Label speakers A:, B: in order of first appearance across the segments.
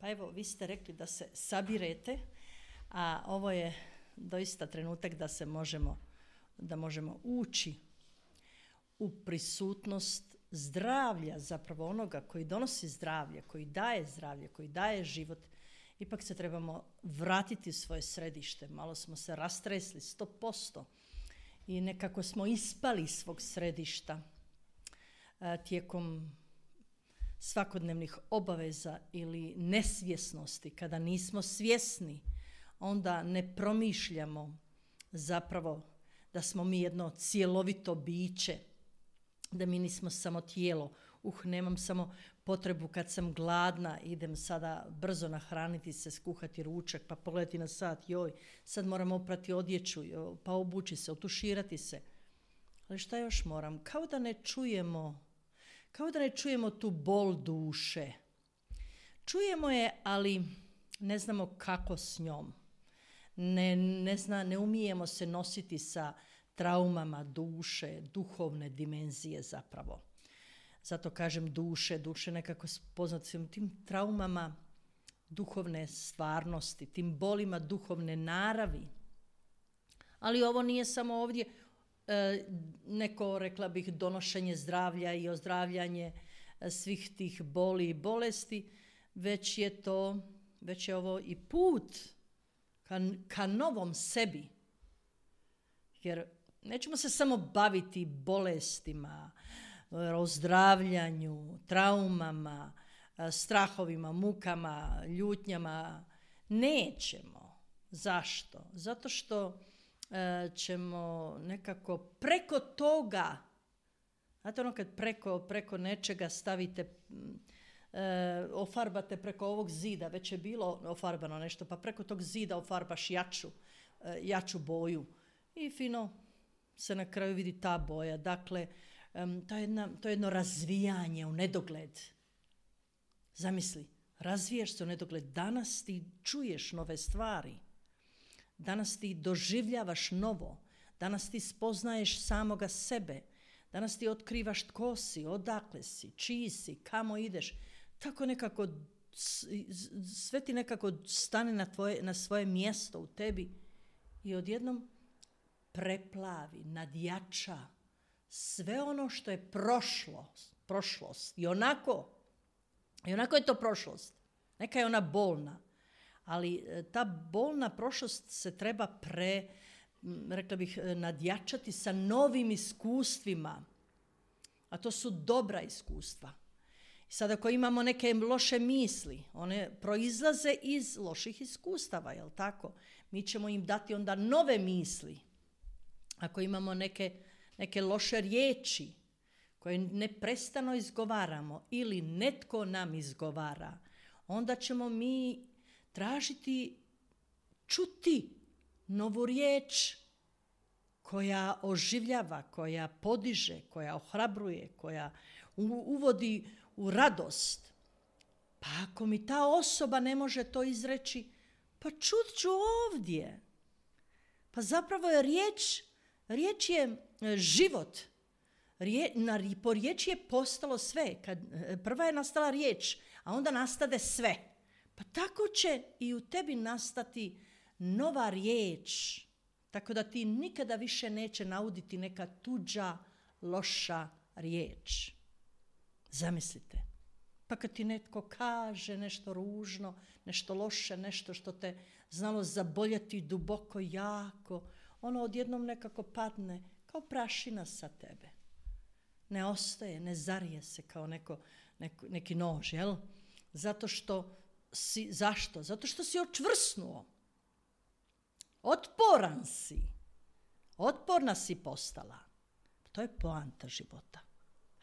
A: Pa evo, vi ste rekli da se sabirete, a ovo je doista trenutak da možemo ući u prisutnost zdravlja, zapravo onoga koji donosi zdravlje, koji daje život. Ipak se trebamo vratiti u svoje središte. Malo smo se rastresli 100% i nekako smo ispali iz svog središta tijekom svakodnevnih obaveza ili nesvjesnosti. Kada nismo svjesni, onda ne promišljamo zapravo da smo mi jedno cjelovito biće, da mi nismo samo tijelo. Nemam samo potrebu kad sam gladna, idem sada brzo nahraniti se, skuhati ručak, pa pogledati na sat, joj, sad moram oprati odjeću, pa obući se, otuširati se. Ali šta još moram? Kao da ne čujemo tu bol duše. Čujemo je, ali ne znamo kako s njom. Ne umijemo se nositi sa traumama duše, duhovne dimenzije zapravo. Zato kažem duše nekako poznati tim traumama duhovne stvarnosti, tim bolima duhovne naravi. Ali ovo nije samo ovdje neko, rekla bih, donošenje zdravlja i ozdravljanje svih tih boli i bolesti, već je ovo i put ka novom sebi. Jer nećemo se samo baviti bolestima, ozdravljanju, traumama, strahovima, mukama, ljutnjama. Nećemo. Zašto? Zato što ćemo nekako preko toga, znate ono kad preko nečega stavite, ofarbate preko ovog zida, već je bilo ofarbano nešto, pa preko tog zida ofarbaš jaču boju i fino se na kraju vidi ta boja. Dakle, to je jedno razvijanje u nedogled. Zamisli, razvijaš se u nedogled. Danas ti čuješ nove stvari. Danas ti doživljavaš novo. Danas ti spoznaješ samoga sebe. Danas ti otkrivaš tko si, odakle si, čiji si, kamo ideš. Tako nekako, sve ti nekako stane na svoje mjesto u tebi i odjednom preplavi, nadjača sve ono što je prošlost. I onako je to prošlost. Neka je ona bolna. Ali ta bolna prošlost se treba rekla bih, nadjačati sa novim iskustvima. A to su dobra iskustva. I sad ako imamo neke loše misli, one proizlaze iz loših iskustava, jel tako? Mi ćemo im dati onda nove misli. Ako imamo neke loše riječi koje neprestano izgovaramo ili netko nam izgovara, onda ćemo mi tražiti, čuti novu riječ koja oživljava, koja podiže, koja ohrabruje, koja uvodi u radost. Pa ako mi ta osoba ne može to izreći, pa čut ću ovdje. Pa zapravo je riječ je život. Po riječi je postalo sve. Prva je nastala riječ, a onda nastade sve. Pa tako će i u tebi nastati nova riječ. Tako da ti nikada više neće nauditi neka tuđa, loša riječ. Zamislite. Pa kad ti netko kaže nešto ružno, nešto loše, nešto što te znalo zaboljeti duboko, jako, ono odjednom nekako padne kao prašina sa tebe. Ne ostaje, ne zarije se kao neki nož, jel? Zašto? Zato što si očvrsnuo. Otporan si. Otporna si postala. To je poanta života.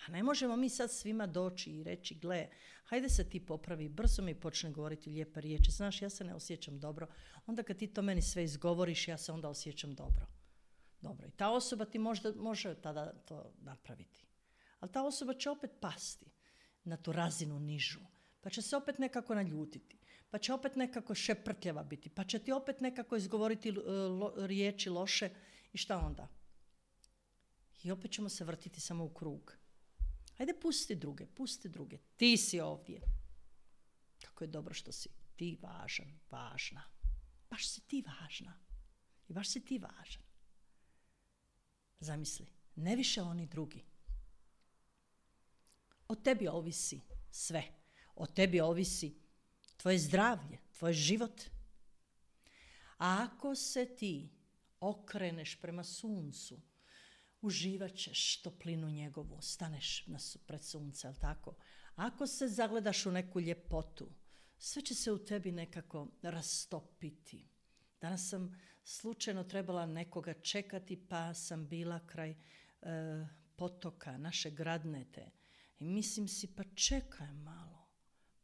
A: A ne možemo mi sad svima doći i reći, gle, hajde se ti popravi, brzo mi počne govoriti lijepe riječi. Znaš, ja se ne osjećam dobro. Onda kad ti to meni sve izgovoriš, ja se onda osjećam dobro. Dobro, i ta osoba ti može tada to napraviti. Ali ta osoba će opet pasti na tu razinu nižu. Pa će se opet nekako naljutiti. Pa će opet nekako šeprtljava biti. Pa će ti opet nekako izgovoriti riječi loše. I šta onda? I opet ćemo se vrtiti samo u krug. Ajde, pusti druge. Ti si ovdje. Kako je dobro što si ti važan, važna. Baš si ti važna. I baš si ti važan. Zamisli, ne više oni drugi. O tebi ovisi sve. O tebi ovisi tvoje zdravlje, tvoj život. A ako se ti okreneš prema suncu, uživat ćeš toplinu njegovu, staneš pred sunce, jel tako? Ako se zagledaš u neku ljepotu, sve će se u tebi nekako rastopiti. Danas sam slučajno trebala nekoga čekati, pa sam bila kraj potoka, naše Gradnete. I mislim si, pa čekaj malo.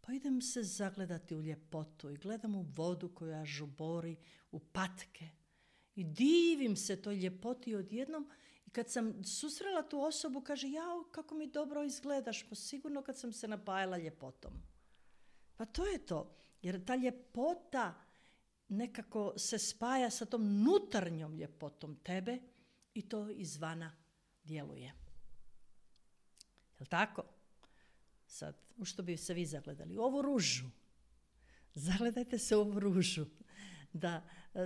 A: Pa idem se zagledati u ljepotu i gledam u vodu koja žubori, u patke. I divim se toj ljepoti odjednom. I kad sam susrela tu osobu, kaže, jao, kako mi dobro izgledaš. Pa sigurno kad sam se napajala ljepotom. Pa to je to. Jer ta ljepota nekako se spaja sa tom unutarnjom ljepotom tebe i to izvana djeluje. Jel' tako? Sad, u što bi se vi zagledali? U ovu ružu. Zagledajte se u ovu ružu.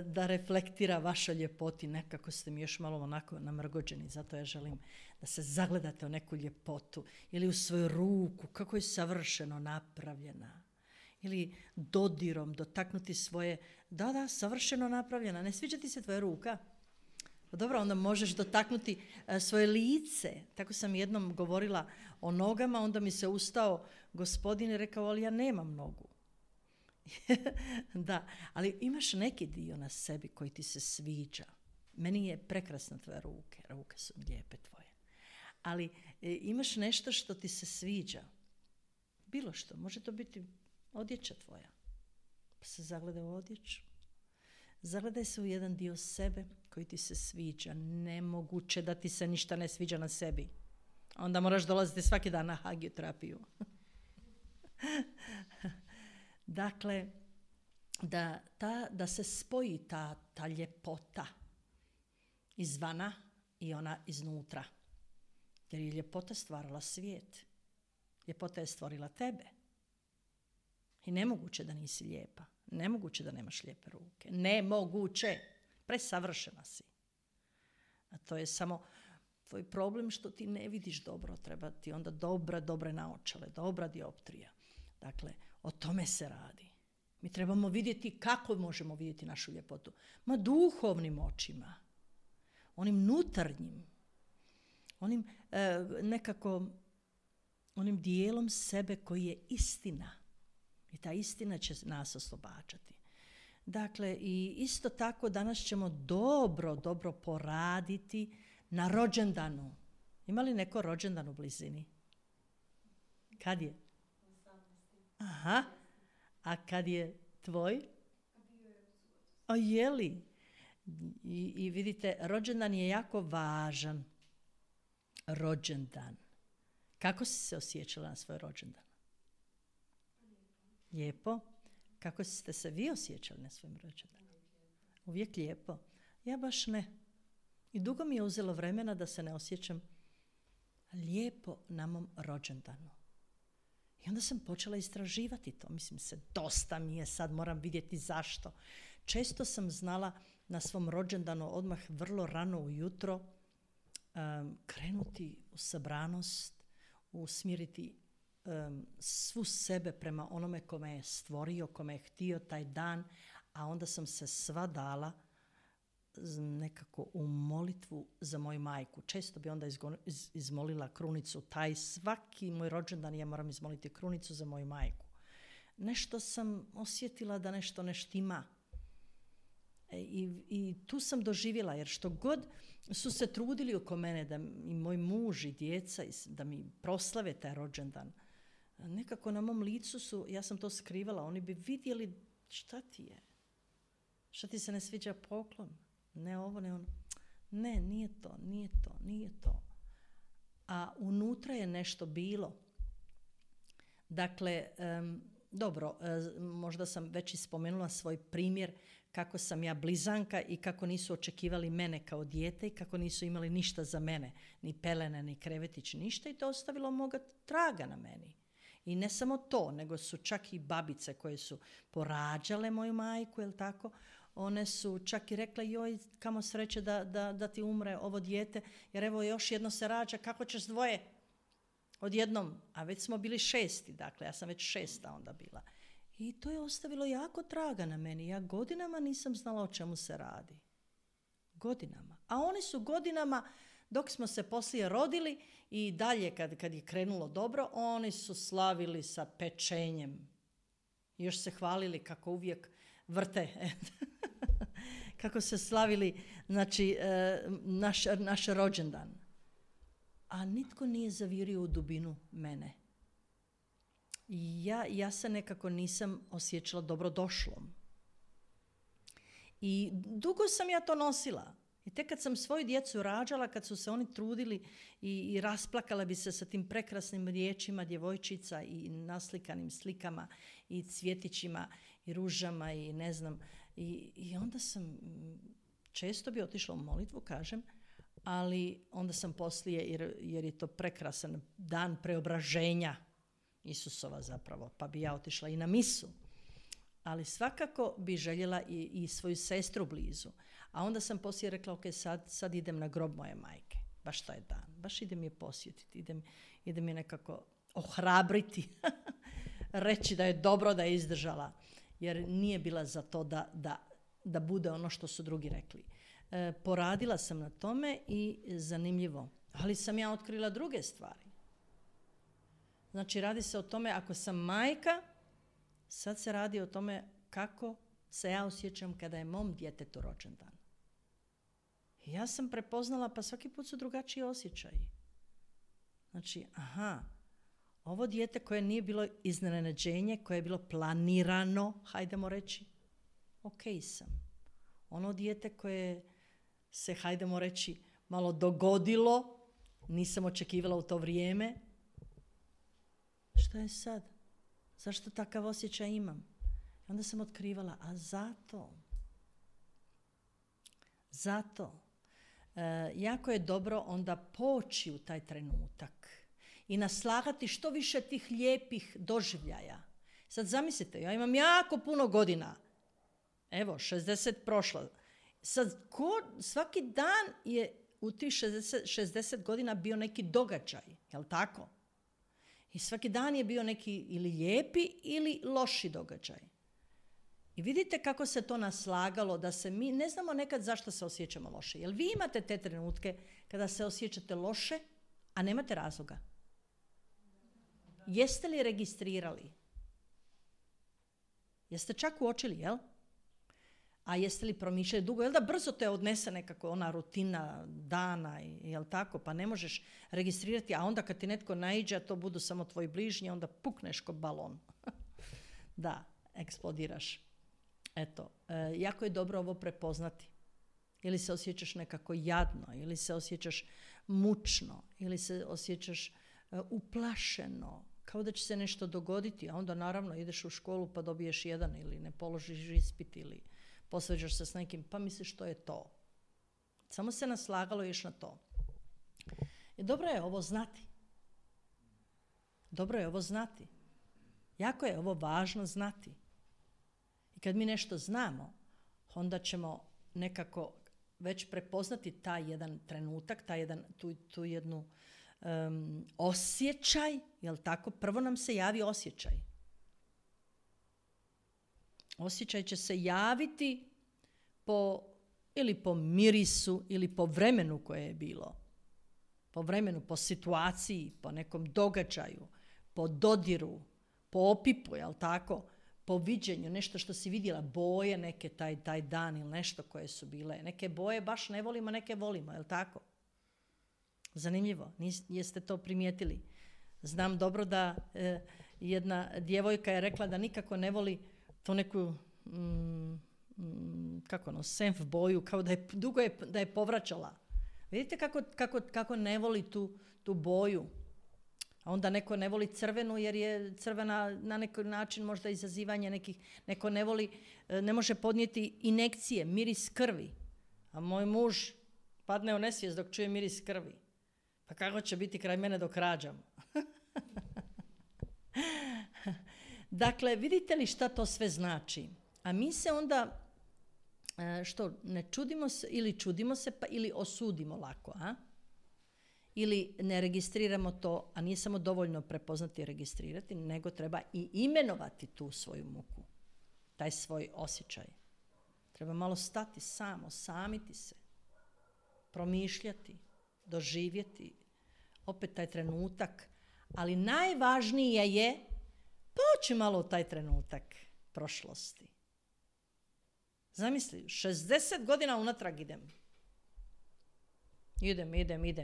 A: Da reflektira vaša ljepoti. Nekako ste mi još malo onako namrgođeni. Zato ja želim da se zagledate u neku ljepotu. Ili u svoju ruku. Kako je savršeno napravljena. Ili dodirom dotaknuti svoje. Da, savršeno napravljena. Ne sviđa ti se tvoja ruka? Pa dobro, onda možeš dotaknuti svoje lice. Tako sam jednom govorila o nogama, onda mi se ustao gospodin i rekao, ali ja nemam nogu. Da, ali imaš neki dio na sebi koji ti se sviđa. Meni je prekrasna tvoja ruke su lijepe tvoje. Ali imaš nešto što ti se sviđa. Bilo što, može to biti odjeća tvoja. Pa se zagledaj u odjeću. Zagledaj se u jedan dio sebe koji ti se sviđa. Nemoguće da ti se ništa ne sviđa na sebi. Onda moraš dolaziti svaki dan na hagioterapiju. Dakle, da se spoji ta ljepota izvana i ona iznutra. Jer je ljepota stvarala svijet. Ljepota je stvorila tebe. I nemoguće da nisi lijepa. Nemoguće da nemaš lijepe ruke. Nemoguće. Presavršena si. A to je samo tvoj problem što ti ne vidiš dobro. Treba ti onda dobre naočale, dobra dioptrija. Dakle, o tome se radi. Mi trebamo vidjeti kako možemo vidjeti našu ljepotu. Ma duhovnim očima. Onim unutarnjim. Onim onim dijelom sebe koji je istina. I ta istina će nas oslobađati. Dakle, i isto tako danas ćemo dobro poraditi na rođendanu. Ima li neko rođendan u blizini? Kad je? Aha. A kad je tvoj? A je li? I vidite, rođendan je jako važan. Rođendan. Kako si se osjećala na svoj rođendan? Lijepo. Kako ste se vi osjećali na svojim rođendanu? Uvijek lijepo. Ja baš ne. I dugo mi je uzelo vremena da se ne osjećam lijepo na mom rođendanu. I onda sam počela istraživati to. Mislim se, dosta mi je, sad moram vidjeti zašto. Često sam znala na svom rođendanu odmah vrlo rano ujutro krenuti u sabranost, usmjeriti svu sebe prema onome kome je stvorio, kome je htio taj dan, a onda sam se sva dala nekako u molitvu za moju majku. Često bi onda izmolila krunicu. Taj svaki moj rođendan ja moram izmoliti krunicu za moju majku. Nešto sam osjetila da nešto ne štima. I tu sam doživjela, jer što god su se trudili oko mene, da i moj muž i djeca, da mi proslave taj rođendan, nekako na mom licu su, ja sam to skrivala, oni bi vidjeli šta ti je. Šta ti se ne sviđa poklon? Ne ovo, ne ono. Ne, nije to. A unutra je nešto bilo. Dakle, dobro, možda sam već i spomenula svoj primjer kako sam ja blizanka i kako nisu očekivali mene kao dijete i kako nisu imali ništa za mene. Ni pelene, ni krevetić, ništa i to ostavilo moga traga na meni. I ne samo to, nego su čak i babice koje su porađale moju majku, jel tako? One su čak i rekle, joj, kamo sreće da ti umre ovo dijete, jer evo još jedno se rađa, kako ćeš dvoje odjednom? A već smo bili 6, dakle, ja sam već 6 onda bila. I to je ostavilo jako traga na meni. Ja godinama nisam znala o čemu se radi. Godinama. A oni su godinama, dok smo se poslije rodili i dalje kad je krenulo dobro, oni su slavili sa pečenjem. Još se hvalili kako uvijek vrte. Kako se slavili, znači, naš rođendan. A nitko nije zavirio u dubinu mene. Ja se nekako nisam osjećala dobrodošlom. I dugo sam ja to nosila. I tek kad sam svoju djecu rađala, kad su se oni trudili i rasplakala bi se sa tim prekrasnim riječima djevojčica i naslikanim slikama i cvjetićima i ružama i ne znam. I onda sam često bi otišla u molitvu, kažem, ali onda sam poslije, jer je to prekrasan dan preobraženja Isusova zapravo, pa bi ja otišla i na misu. Ali svakako bi željela i svoju sestru blizu. A onda sam poslije rekla, ok, sad idem na grob moje majke. Baš taj dan. Baš idem je posjetiti. Idem je nekako ohrabriti. Reći da je dobro da je izdržala. Jer nije bila za to da bude ono što su drugi rekli. Poradila sam na tome i zanimljivo. Ali sam ja otkrila druge stvari. Znači, radi se o tome, ako sam majka, sad se radi o tome kako se ja osjećam kada je mom djetetu rođendan. I ja sam prepoznala, pa svaki put su drugačiji osjećaji. Znači, ovo dijete koje nije bilo iznenađenje, koje je bilo planirano, hajdemo reći, ok sam. Ono dijete koje se, hajdemo reći, malo dogodilo, nisam očekivala u to vrijeme. Što je sad? Zašto takav osjećaj imam? I onda sam otkrivala, a zato. Jako je dobro onda poći u taj trenutak i naslagati što više tih lijepih doživljaja. Sad zamislite, ja imam jako puno godina. Evo, 60 prošlo. Sad, svaki dan je u tih 60 godina bio neki događaj, jel tako? I svaki dan je bio neki ili lijepi ili loši događaj. I vidite kako se to naslagalo, da se mi ne znamo nekad zašto se osjećamo loše. Jel vi imate te trenutke kada se osjećate loše, a nemate razloga? Jeste li registrirali? Jeste čak uočili, jel? A jeste li promišljali dugo? Jel da brzo te odnese nekako ona rutina dana, jel tako? Pa ne možeš registrirati, a onda kad ti netko naiđe, a to budu samo tvoji bližnji, onda pukneš ko balon. Da, eksplodiraš. Eto, jako je dobro ovo prepoznati. Ili se osjećaš nekako jadno, ili se osjećaš mučno, ili se osjećaš uplašeno, kao da će se nešto dogoditi, a onda naravno ideš u školu pa dobiješ 1 ili ne položiš ispit ili posveđaš se s nekim, pa misliš što je to. Samo se naslagalo još na to. I dobro je ovo znati. Jako je ovo važno znati. I kad mi nešto znamo, onda ćemo nekako već prepoznati taj jedan trenutak, tu jednu osjećaj, jel tako? Prvo nam se javi osjećaj. Osjećaj će se javiti ili po mirisu ili po vremenu koje je bilo. Po vremenu, po situaciji, po nekom događaju, po dodiru, po opipu, jel tako? Po viđenju, nešto što si vidjela, boje neke taj dan ili nešto koje su bile. Neke boje baš ne volimo, neke volimo, jel tako? Zanimljivo, jeste to primijetili? Znam dobro da jedna djevojka je rekla da nikako ne voli to neku senf boju, kao da je povraćala. Vidite kako ne voli tu boju. A onda neko ne voli crvenu jer je crvena na neki način možda izazivanje nekih, neko ne voli, ne može podnijeti injekcije, miris krvi. A moj muž padne u nesvijest dok čuje miris krvi. Pa kako će biti kraj mene dok rađam? Dakle, vidite li šta to sve znači? A mi se onda, što, ne čudimo se ili čudimo se pa ili osudimo lako, a? Ili ne registriramo to, a nije samo dovoljno prepoznati i registrirati, nego treba i imenovati tu svoju muku, taj svoj osjećaj. Treba malo stati osamiti se, promišljati, doživjeti, opet taj trenutak, ali najvažnije je poći malo u taj trenutak prošlosti. Zamisli, 60 godina unatrag idem.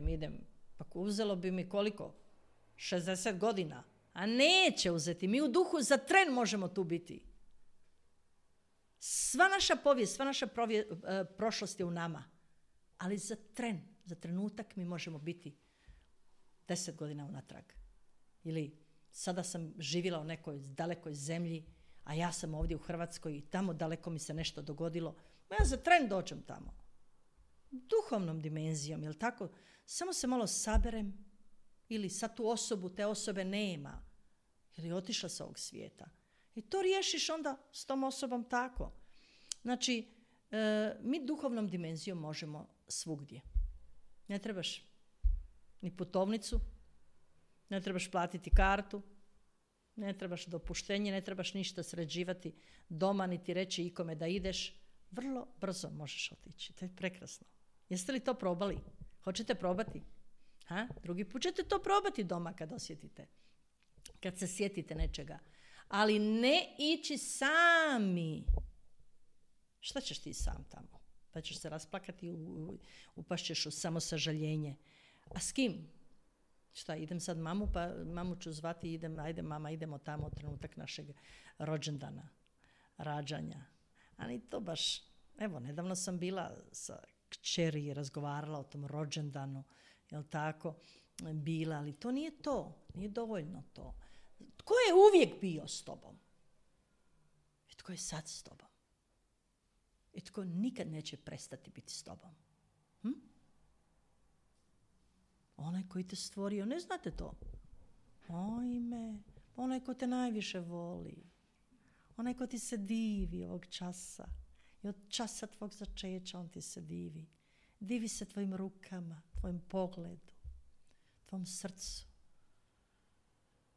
A: Idem. Pa uzelo bi mi koliko? 60 godina. A neće uzeti. Mi u duhu za tren možemo tu biti. Sva naša povijest, sva naša prošlost je u nama. Ali za trenutak mi možemo biti 10 godina unatrag. Ili sada sam živjela u nekoj dalekoj zemlji, a ja sam ovdje u Hrvatskoj i tamo daleko mi se nešto dogodilo. Ja za tren dođem tamo. Duhovnom dimenzijom, jel tako? Samo se malo saberem ili sad tu osobu, te osobe nema. Jer je otišla sa ovog svijeta. I to riješiš onda s tom osobom tako. Znači, mi duhovnom dimenzijom možemo svugdje. Ne trebaš ni putovnicu, ne trebaš platiti kartu, ne trebaš dopuštenje, ne trebaš ništa sređivati doma, niti reći ikome da ideš. Vrlo brzo možeš otići. To je prekrasno. Jeste li to probali? Hoćete probati? Drugi put ćete to probati doma kad osjetite. Kad se sjetite nečega. Ali ne ići sami. Šta ćeš ti sam tamo? Pa ćeš se rasplakati, upašćeš u samosažaljenje. A s kim? Šta, idem sad mamu, pa mamu ću zvati, ajde mama, idemo tamo u trenutak našeg rođendana, rađanja. Ali to baš, evo, nedavno sam bila sa kćeri i razgovarala o tom rođendanu, jel tako, bila, ali to nije dovoljno to. Tko je uvijek bio s tobom? I tko je sad s tobom? I tko nikad neće prestati biti s tobom? Onaj koji te stvorio, ne znate to? Onaj ko te najviše voli. Onaj ko ti se divi ovog časa. I od časa tvog začeća on ti se divi. Divi se tvojim rukama, tvojim pogledu, tvom srcu.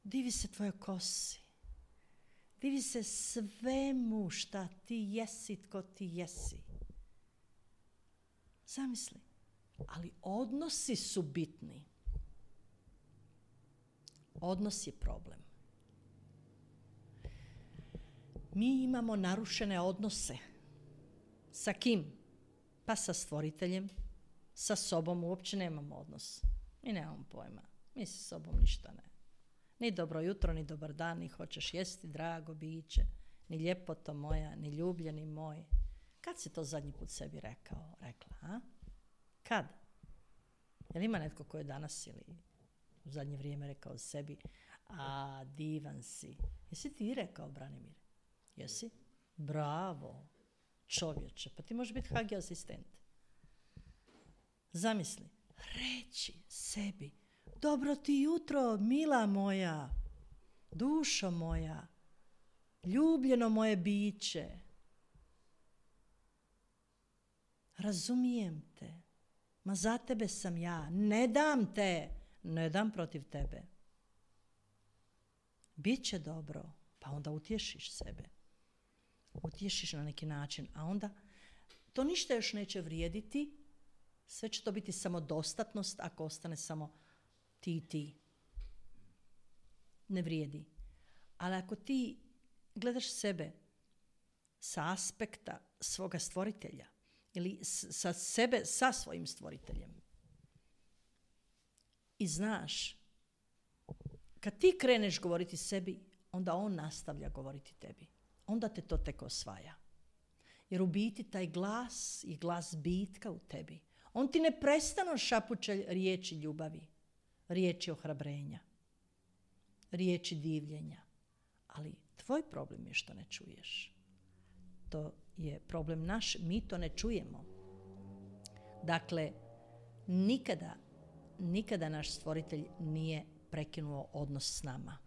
A: Divi se tvojoj kosi. Divi se svemu šta ti jesi, tko ti jesi. Zamisli. Ali odnosi su bitni. Odnos je problem. Mi imamo narušene odnose. Sa kim? Pa sa stvoriteljem. Sa sobom uopće nemamo odnos. Mi nemamo pojma. Mi sa sobom ništa ne. Ni dobro jutro, ni dobar dan, ni hoćeš jesti, drago biće, ni ljepoto moja, ni ljubljeni moj. Kad si to zadnji put sebi rekla, a? Kad? Jel ima netko ko je danas ili u zadnje vrijeme rekao sebi, a divan si. Jesi ti rekao, Branimir? Jesi? Bravo, čovječe, pa ti možeš biti HG asistent. Zamisli, reći sebi, dobro ti jutro, mila moja, dušo moja, ljubljeno moje biće. Razumijem te. Ma za tebe sam ja. Ne dam te. Ne dam protiv tebe. Biće dobro. Pa onda utješiš sebe. Utješiš na neki način. A onda to ništa još neće vrijediti. Sve će to biti samodostatnost ako ostane samo ti. Ne vrijedi. Ali ako ti gledaš sebe sa aspekta svoga stvoritelja ili sa sebe sa svojim stvoriteljem i znaš, kad ti kreneš govoriti sebi, onda on nastavlja govoriti tebi. Onda te to tek osvaja. Jer u biti taj glas i glas bitka u tebi, on ti neprestano šapuće riječi ljubavi, riječi ohrabrenja, riječi divljenja. Ali tvoj problem je što ne čuješ. To je problem naš, mi to ne čujemo. Dakle, nikada naš stvoritelj nije prekinuo odnos s nama.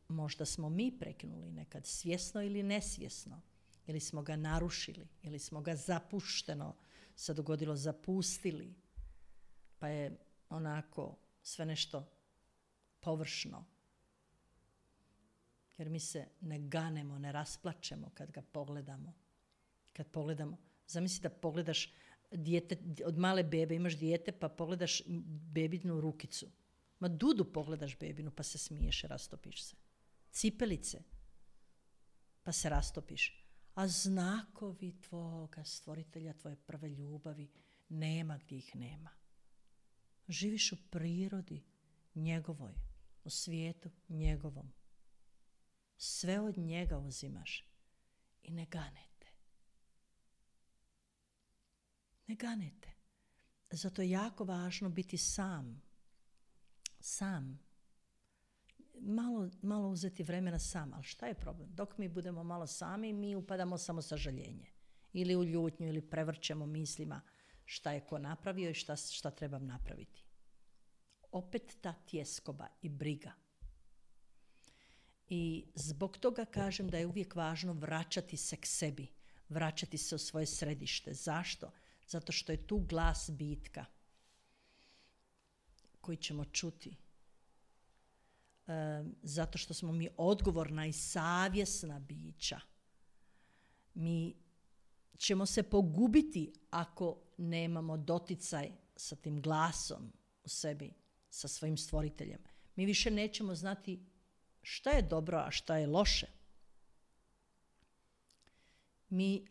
A: možda smo mi prekinuli nekad, svjesno ili nesvjesno. Ili smo ga narušili, ili smo ga zapušteno se dogodilo zapustili. Pa je onako sve nešto površno. Jer mi se ne ganemo, ne rasplačemo kad ga pogledamo. Kad pogledamo, zamisli da pogledaš dijete, od male bebe imaš dijete pa pogledaš bebinu rukicu. Ma Dudu pogledaš bebinu pa se smiješ i rastopiš se. Cipelice pa se rastopiš. A znakovi tvoga stvoritelja, tvoje prve ljubavi, nema gdje ih nema. Živiš u prirodi njegovoj, u svijetu njegovom. Sve od njega uzimaš i ne ganete. Ne ganete. Zato je jako važno biti sam. Sam. Malo uzeti vremena sam. Ali šta je problem? Dok mi budemo malo sami, mi upadamo samo sažaljenje. Ili u ljutnju, ili prevrćemo mislima šta je ko napravio i šta trebam napraviti. Opet ta tjeskoba i briga. I zbog toga kažem da je uvijek važno vraćati se k sebi. Vraćati se u svoje središte. Zašto? Zato što je tu glas bitka koji ćemo čuti. Zato što smo mi odgovorna i savjesna bića. Mi ćemo se pogubiti ako nemamo doticaj sa tim glasom u sebi, sa svojim stvoriteljem. Mi više nećemo znati šta je dobro, a šta je loše.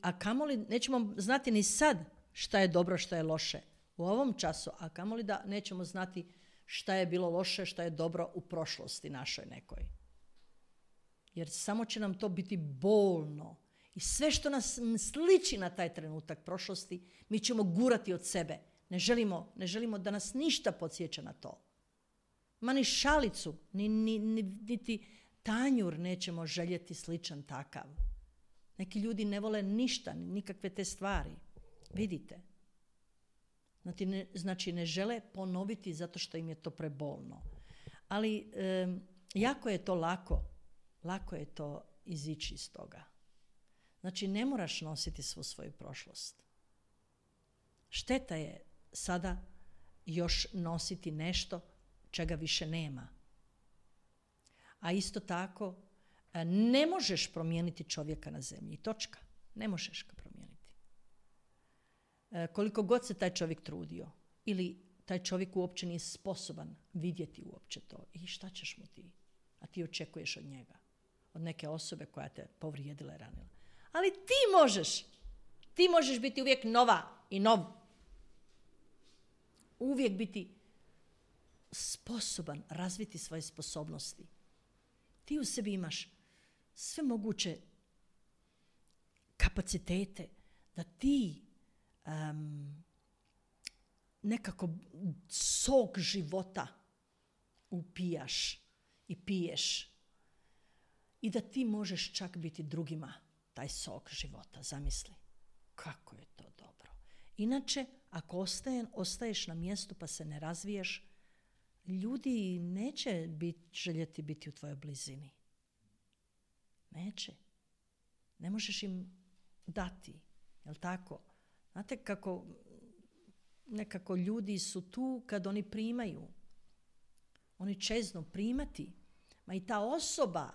A: A kamoli nećemo znati ni sad šta je dobro, šta je loše u ovom času, a kamoli da nećemo znati šta je bilo loše, šta je dobro u prošlosti našoj nekoj. Jer samo će nam to biti bolno. I sve što nas sliči na taj trenutak prošlosti, mi ćemo gurati od sebe. Ne želimo da nas ništa podsjeća na to. Ma ni šalicu, niti tanjur nećemo željeti sličan takav. Neki ljudi ne vole ništa, nikakve te stvari. Vidite. Znači ne žele ponoviti zato što im je to prebolno. Ali jako je to lako je to izići iz toga. Znači ne moraš nositi svu svoju prošlost. Šteta je sada još nositi nešto čega više nema. A isto tako ne možeš promijeniti čovjeka na zemlji. Točka. Ne možeš ga promijeniti. Koliko god se taj čovjek trudio ili taj čovjek uopće nije sposoban vidjeti uopće to. I šta ćeš mu ti? A ti očekuješ od njega. Od neke osobe koja te povrijedila i ranila. Ali ti možeš. Ti možeš biti uvijek nova i nov. Uvijek biti sposoban razviti svoje sposobnosti. Ti u sebi imaš sve moguće kapacitete da ti nekako sok života upijaš i piješ i da ti možeš čak biti drugima taj sok života. Zamisli kako je to dobro. Inače, ako ostaješ na mjestu pa se ne razviješ, ljudi neće željeti biti u tvojoj blizini. Neće. Ne možeš im dati. Jel' tako? Znate kako nekako ljudi su tu kad oni primaju. Oni čeznu primati. Ma i ta osoba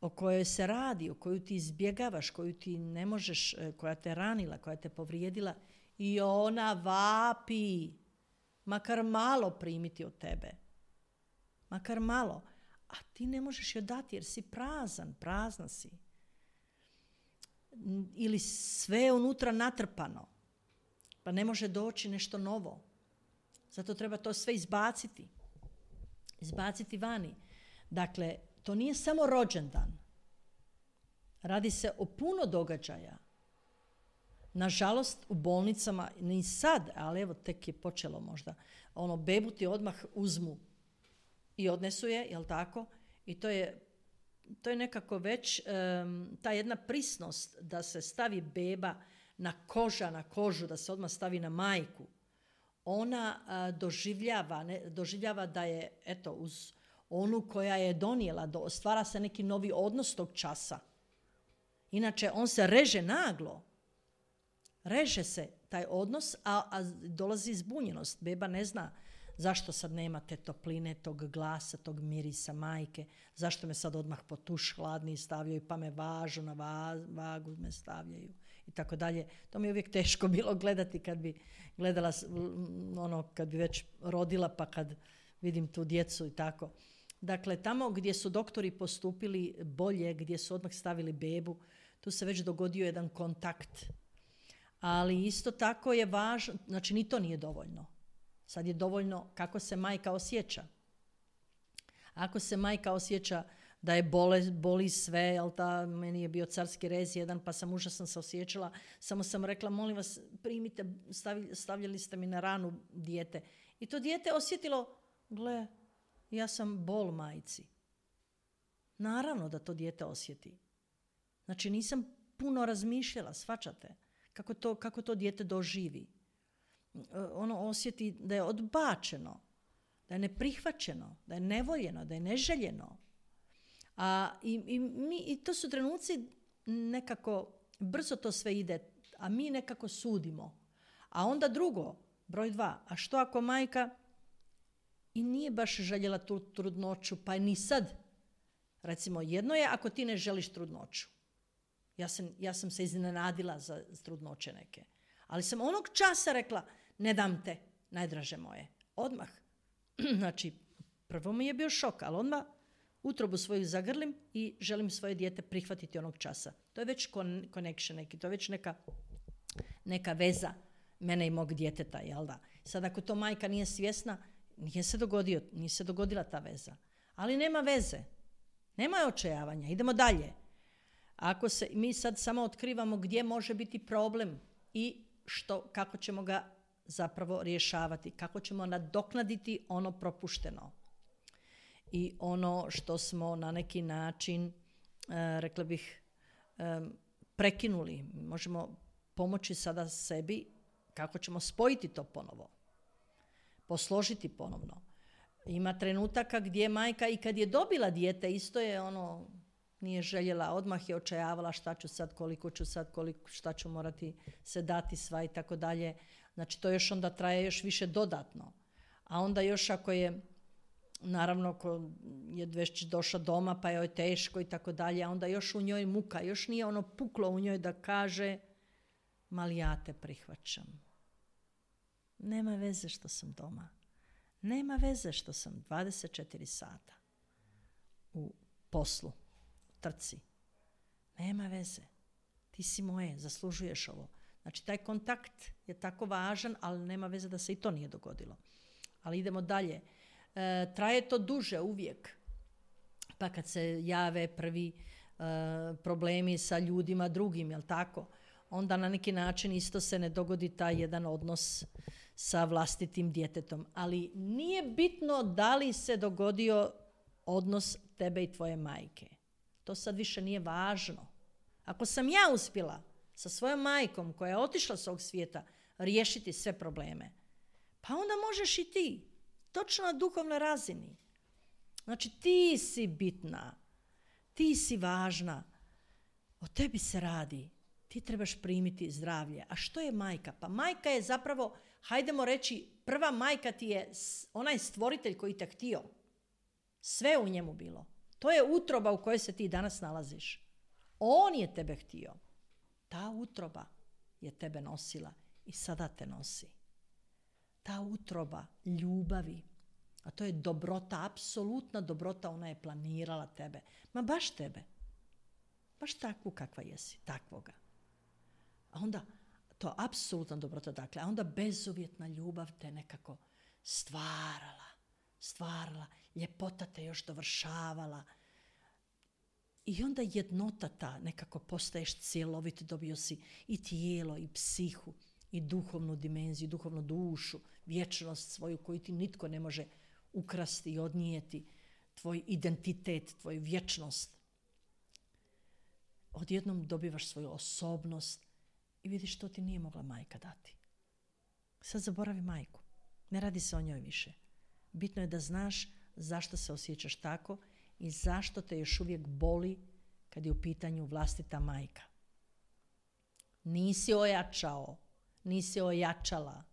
A: o kojoj se radi, o koju ti izbjegavaš, koju ti ne možeš, koja te ranila, koja te povrijedila, i ona vapi. Makar malo primiti od tebe. Makar malo. A ti ne možeš joj dati jer si prazna si. Ili sve je unutra natrpano. Pa ne može doći nešto novo. Zato treba to sve izbaciti. Izbaciti vani. Dakle, to nije samo rođendan. Radi se o puno događaja. Nažalost, u bolnicama, ni sad, ali evo tek je počelo možda, bebu ti odmah uzmu i odnesu je, jel tako? I to je nekako već ta jedna prisnost da se stavi beba na kožu, da se odmah stavi na majku. Ona doživljava da je, uz onu koja je donijela, stvara se neki novi odnos tog časa. Inače, on se reže naglo. Reže se taj odnos, a dolazi zbunjenost. Beba ne zna zašto sad nema te topline, tog glasa, tog mirisa majke, zašto me sad odmah po tuš hladni stavljaju, pa me važu na vagu me stavljaju i tako dalje. To mi je uvijek teško bilo gledati kad bi gledala, kad bi već rodila, pa kad vidim tu djecu i tako. Dakle, tamo gdje su doktori postupili bolje, gdje su odmah stavili bebu, tu se već dogodio jedan kontakt. Ali isto tako je važno, znači ni to nije dovoljno. Sad je dovoljno kako se majka osjeća. Ako se majka osjeća da je boli sve, jel meni je bio carski rez jedan, pa sam užasno se osjećala, samo sam rekla, molim vas, primite, stavljali ste mi na ranu dijete. I to dijete osjetilo, gle, ja sam bol majci. Naravno da to dijete osjeti. Znači nisam puno razmišljala, shvaćate, kako to dijete doživi. Ono osjeti da je odbačeno, da je neprihvaćeno, da je nevoljeno, da je neželjeno. I to su trenuci nekako, brzo to sve ide, a mi nekako sudimo. A onda drugo, broj 2, a što ako majka i nije baš željela tu trudnoću, pa ni sad. Recimo, jedno je ako ti ne želiš trudnoću. Ja sam se iznenadila za trudnoće neke. Ali sam onog časa rekla, ne dam te, najdraže moje. Odmah. Znači, prvo mi je bio šok, ali odmah utrobu svoju zagrlim i želim svoje dijete prihvatiti onog časa. To je već connection neki, to je već neka veza mene i mog djeteta, jel da? Sad ako to majka nije svjesna, nije se dogodila ta veza. Ali nema veze. Nema očajavanja. Idemo dalje. Ako mi sad samo otkrivamo gdje može biti problem i kako ćemo ga zapravo rješavati, kako ćemo nadoknaditi ono propušteno i ono što smo na neki način, rekla bih, prekinuli. Možemo pomoći sada sebi kako ćemo spojiti to ponovo, posložiti ponovno. Ima trenutaka gdje majka i kad je dobila dijete, isto je nije željela, odmah je očajavala šta ću sad, koliko ću sad, šta ću morati se dati sva i tako dalje. Znači to još onda traje još više dodatno. A onda još ako je, naravno ko je već došla doma pa joj teško i tako dalje, a onda još u njoj muka, još nije puklo u njoj da kaže, mali ja te prihvaćam. Nema veze što sam doma. Nema veze što sam 24 sata u poslu, trci. Nema veze. Ti si moje, zaslužuješ ovo. Znači, taj kontakt je tako važan, ali nema veze da se i to nije dogodilo. Ali idemo dalje. Traje to duže uvijek. Pa kad se jave prvi problemi sa ljudima drugim, jel tako? Onda na neki način isto se ne dogodi taj jedan odnos sa vlastitim djetetom. Ali nije bitno da li se dogodio odnos tebe i tvoje majke. To sad više nije važno. Ako sam ja uspjela sa svojom majkom koja je otišla s ovog svijeta riješiti sve probleme, pa onda možeš i ti. Točno na duhovnoj razini. Znači ti si bitna. Ti si važna. O tebi se radi. Ti trebaš primiti zdravlje. A što je majka? Pa majka je zapravo, hajdemo reći, prva majka ti je onaj stvoritelj koji te htio. Sve u njemu bilo. To je utroba u kojoj se ti danas nalaziš. On je tebe htio. Ta utroba je tebe nosila i sada te nosi. Ta utroba ljubavi, a to je dobrota, apsolutna dobrota, ona je planirala tebe. Ma baš tebe. Baš takvu kakva jesi, takvoga. A onda, to apsolutna dobrota, dakle, a onda bezuvjetna ljubav te nekako stvarala, ljepota te još dovršavala. I onda jednota ta, nekako postaješ cjelovit, dobio si i tijelo, i psihu, i duhovnu dimenziju, duhovnu dušu, vječnost svoju koju ti nitko ne može ukrasti i odnijeti, tvoj identitet, tvoju vječnost. Odjednom dobivaš svoju osobnost i vidiš što ti nije mogla majka dati. Sad zaboravi majku. Ne radi se o njoj više. Bitno je da znaš zašto se osjećaš tako i zašto te još uvijek boli kad je u pitanju vlastita majka. Nisi ojačao, nisi ojačala.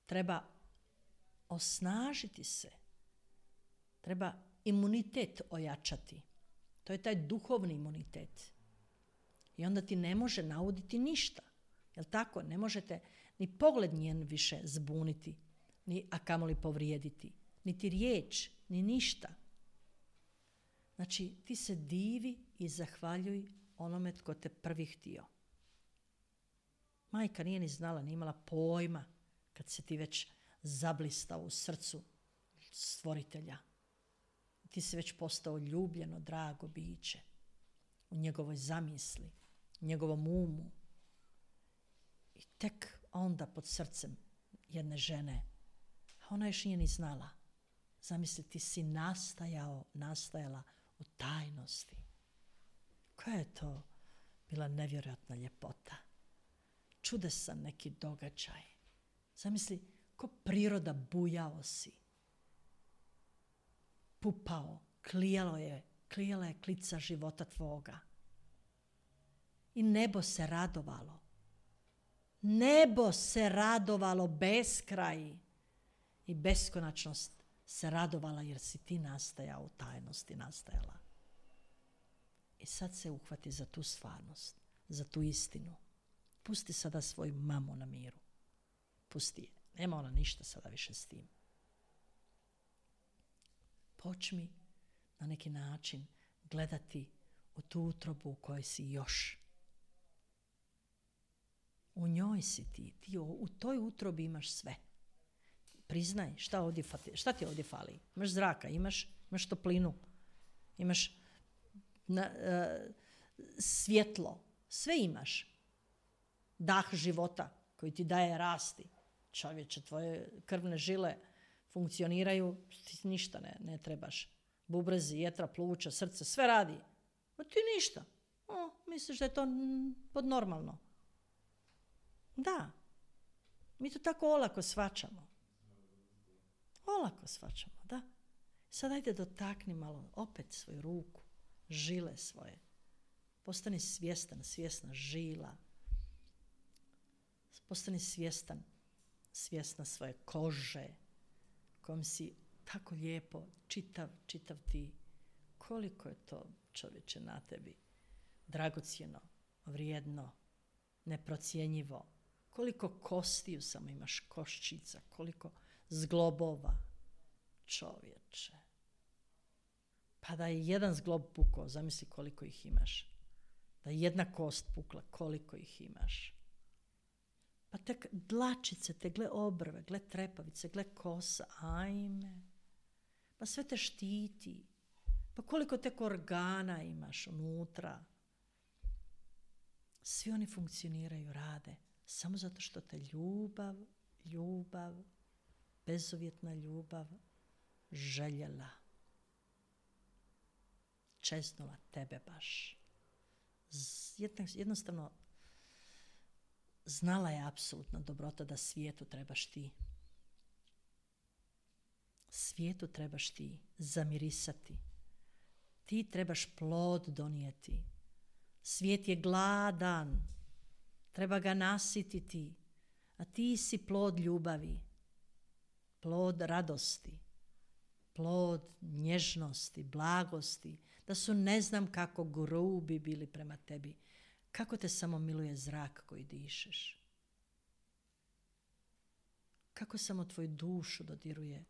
A: Treba osnažiti se. Treba imunitet ojačati. To je taj duhovni imunitet. I onda ti ne može nauditi ništa. Jel tako? Ne možete ni pogled njen više zbuniti, a kamoli povrijediti. Niti riječ, ni ništa. Znači, ti se divi i zahvaljuj onome tko te prvi htio. Majka nije ni znala, nije imala pojma kad se ti već zablistao u srcu stvoritelja. Ti si već postao ljubljeno, drago biće u njegovoj zamisli, u njegovom umu. I tek onda pod srcem jedne žene, a ona još nije ni znala. Zamisli, ti si nastajala u tajnosti. Koja je to bila nevjerojatna ljepota. Čudesan neki događaj. Zamisli, ko priroda bujao si. Pupao, klijala je klica života tvoga. I nebo se radovalo. Nebo se radovalo beskraj. I beskonačnost se radovala jer si ti nastajao u tajnosti, nastajala. I sad se uhvati za tu stvarnost, za tu istinu. Pusti sada svoju mamu na miru. Pusti je. Nema ona ništa sada više s tim. Počmi na neki način gledati u tu utrobu u kojoj si još. U njoj si ti. Ti u toj utrobi imaš sve. Priznaj šta ti ovdje fali. Imaš zraka, imaš toplinu, imaš svjetlo. Sve imaš. Dah života koji ti daje rasti. Čovječe, tvoje krvne žile funkcioniraju, ti ništa ne trebaš. Bubrezi, jetra, pluća, srce, sve radi. A ti ništa. Misliš da je to podnormalno. Da. Mi to tako olako shvaćamo. Olako shvaćamo, da. Sad ajde dotakni malo opet svoju ruku, žile svoje. Postani svjesna žila. Postani svjesna svoje kože, kojom si tako lijepo, čitav ti. Koliko je to, čovječe, na tebi dragocjeno, vrijedno, neprocjenjivo. Koliko kostiju samo imaš, koščica, koliko zglobova, čovječe. Pa da je jedan zglob pukao, zamisli koliko ih imaš. Da je jedna kost pukla, koliko ih imaš. Pa tek dlačice, te gle obrve, gle trepavice, gle kosa, ajme. Pa sve te štiti. Pa koliko tek organa imaš unutra. Svi oni funkcioniraju, rade. Samo zato što te ljubav, bezuvjetna ljubav željela. Čeznula tebe baš. Jednostavno znala je apsolutna dobrota da svijetu trebaš ti. Svijetu trebaš ti zamirisati. Ti trebaš plod donijeti. Svijet je gladan. Treba ga nasititi. A ti si plod ljubavi. Plod radosti. Plod nježnosti, blagosti. Da su ne znam kako grubi bili prema tebi. Kako te samo miluje zrak koji dišeš. Kako samo tvoju dušu dodiruje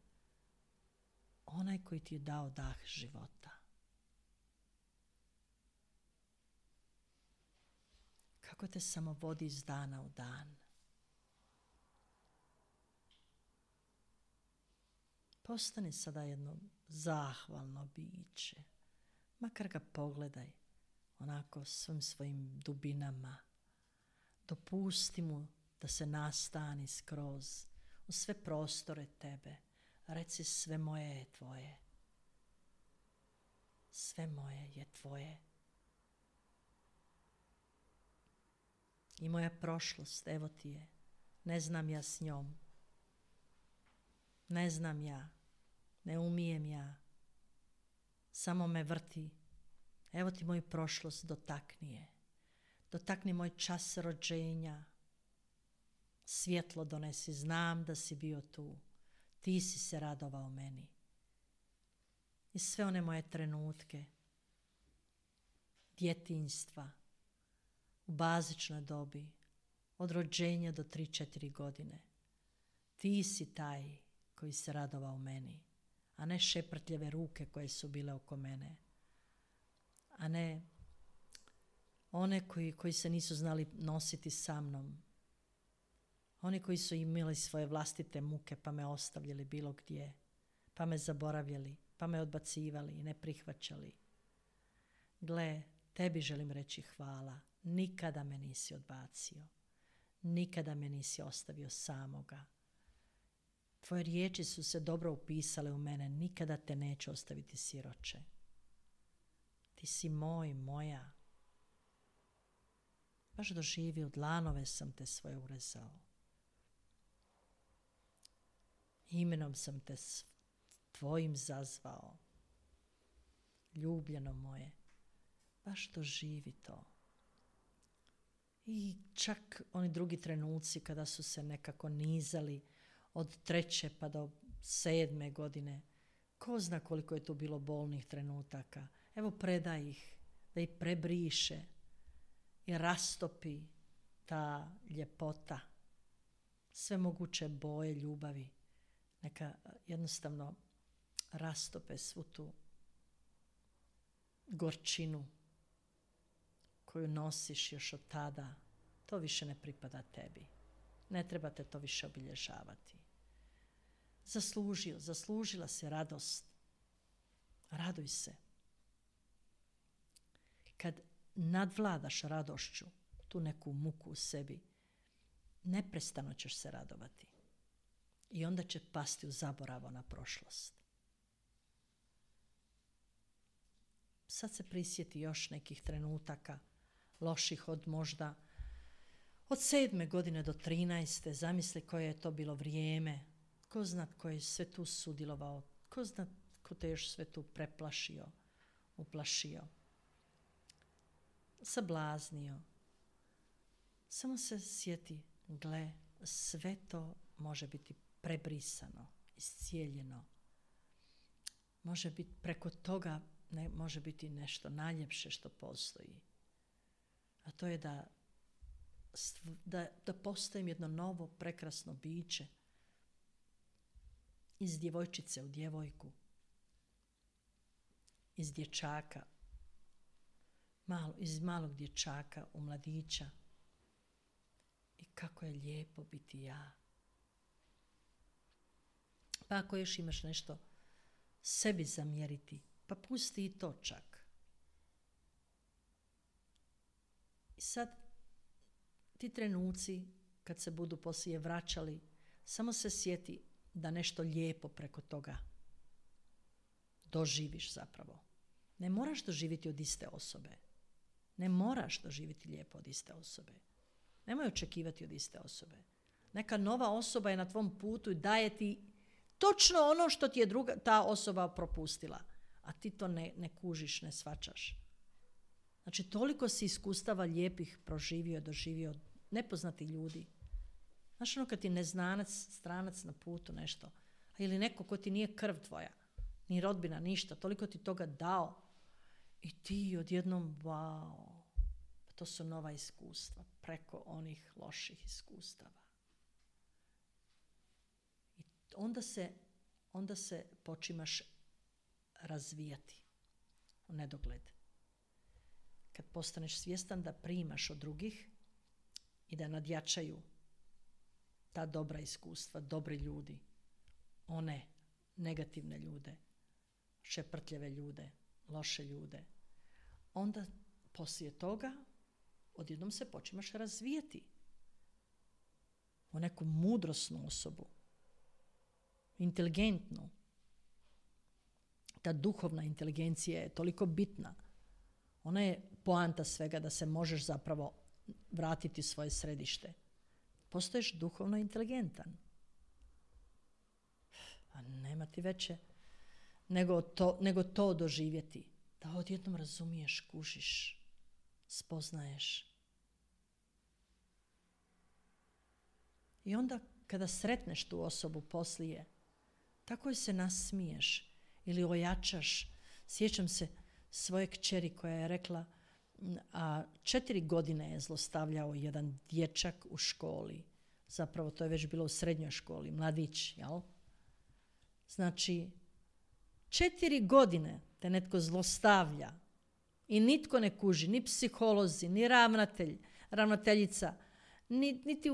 A: onaj koji ti je dao dah života. Kako te samo vodi iz dana u dan. Postani sada jedno zahvalno biće. Makar ga pogledaj onako svim svojim dubinama. Dopusti mu da se nastani skroz u sve prostore tebe. Reci, sve moje je tvoje. Sve moje je tvoje. I moja prošlost, evo ti je. Ne znam ja s njom. Ne znam ja. Ne umijem ja. Samo me vrti. Evo ti moju prošlost, dotakni je. Dotakni moj čas rođenja. Svjetlo donesi, znam da si bio tu. Ti si se radovao meni. I sve one moje trenutke djetinjstva u bazičnoj dobi, od rođenja do 3-4 godine. Ti si taj koji se radovao meni, a ne šeprtljeve ruke koje su bile oko mene, a ne one koji se nisu znali nositi sa mnom, oni koji su imali svoje vlastite muke pa me ostavljali bilo gdje, pa me zaboravljali, pa me odbacivali i ne prihvaćali. Gle, tebi želim reći hvala. Nikada me nisi odbacio. Nikada me nisi ostavio samoga. Tvoje riječi su se dobro upisale u mene. Nikada te neću ostaviti siroče. Ti si moj, moja. Baš doživi, u dlanove sam te svoje urezao. Imenom sam te tvojim zazvao. Ljubljeno moje. Baš doživi to. I čak oni drugi trenuci kada su se nekako nizali od 3. pa do 7. godine. Ko zna koliko je tu bilo bolnih trenutaka. Evo predaj ih, da ih prebriše i rastopi ta ljepota. Sve moguće boje ljubavi. Neka jednostavno rastope svu tu gorčinu koju nosiš još od tada. To više ne pripada tebi. Ne trebate to više obilježavati. Zaslužila se radost. Raduj se. Kad nadvladaš radošću tu neku muku u sebi, neprestano ćeš se radovati. I onda će pasti u zaboravo na prošlost. Sad se prisjeti još nekih trenutaka loših od možda od 7. godine do 13. Zamisli koje je to bilo vrijeme. Ko zna ko je sve tu sudjelovao. Ko zna ko te još sve tu preplašio, uplašio, sablaznio. Samo se sjeti, gle, sve to može biti prebrisano, iscijeljeno. Može biti preko toga, može biti nešto najljepše što postoji. A to je da postojem jedno novo, prekrasno biće iz djevojčice u djevojku, iz dječaka, iz malog dječaka u mladića. I kako je lijepo biti ja. Pa ako još imaš nešto sebi zamjeriti, pa pusti i to čak. I sad ti trenuci kad se budu poslije vraćali, samo se sjeti da nešto lijepo preko toga doživiš zapravo. Ne moraš doživjeti od iste osobe. Ne moraš doživjeti lijepo od iste osobe. Nemoj očekivati od iste osobe. Neka nova osoba je na tvom putu i daje ti točno ono što ti je ta osoba propustila. A ti to ne kužiš, ne shvaćaš. Znači, toliko si iskustava lijepih proživio, doživio od nepoznatih ljudi. Znaš ono kad ti neznanac, stranac na putu nešto, ili neko ko ti nije krv tvoja, ni rodbina, ništa, toliko ti toga dao i ti odjednom, wow, to su nova iskustva preko onih loših iskustava. I onda se počimaš razvijati u nedogled. Kad postaneš svjestan da primaš od drugih i da nadjačaju ta dobra iskustva, dobri ljudi, one negativne ljude, šeprtljeve ljude, loše ljude, onda poslije toga odjednom se počimaš razvijati u neku mudrosnu osobu, inteligentnu. Ta duhovna inteligencija je toliko bitna. Ona je poanta svega da se možeš zapravo vratiti u svoje središte. Postoješ duhovno inteligentan. A nema ti veće nego to doživjeti. Da odjednom razumiješ, kužiš, spoznaješ. I onda kada sretneš tu osobu poslije, tako joj se nasmiješ ili ojačaš. Sjećam se svoje kćeri koja je rekla, a 4 godine je zlostavljao jedan dječak u školi. Zapravo to je već bilo u srednjoj školi, mladić, jel? Znači, 4 godine te netko zlostavlja i nitko ne kuži, ni psiholozi, ni ravnateljica, niti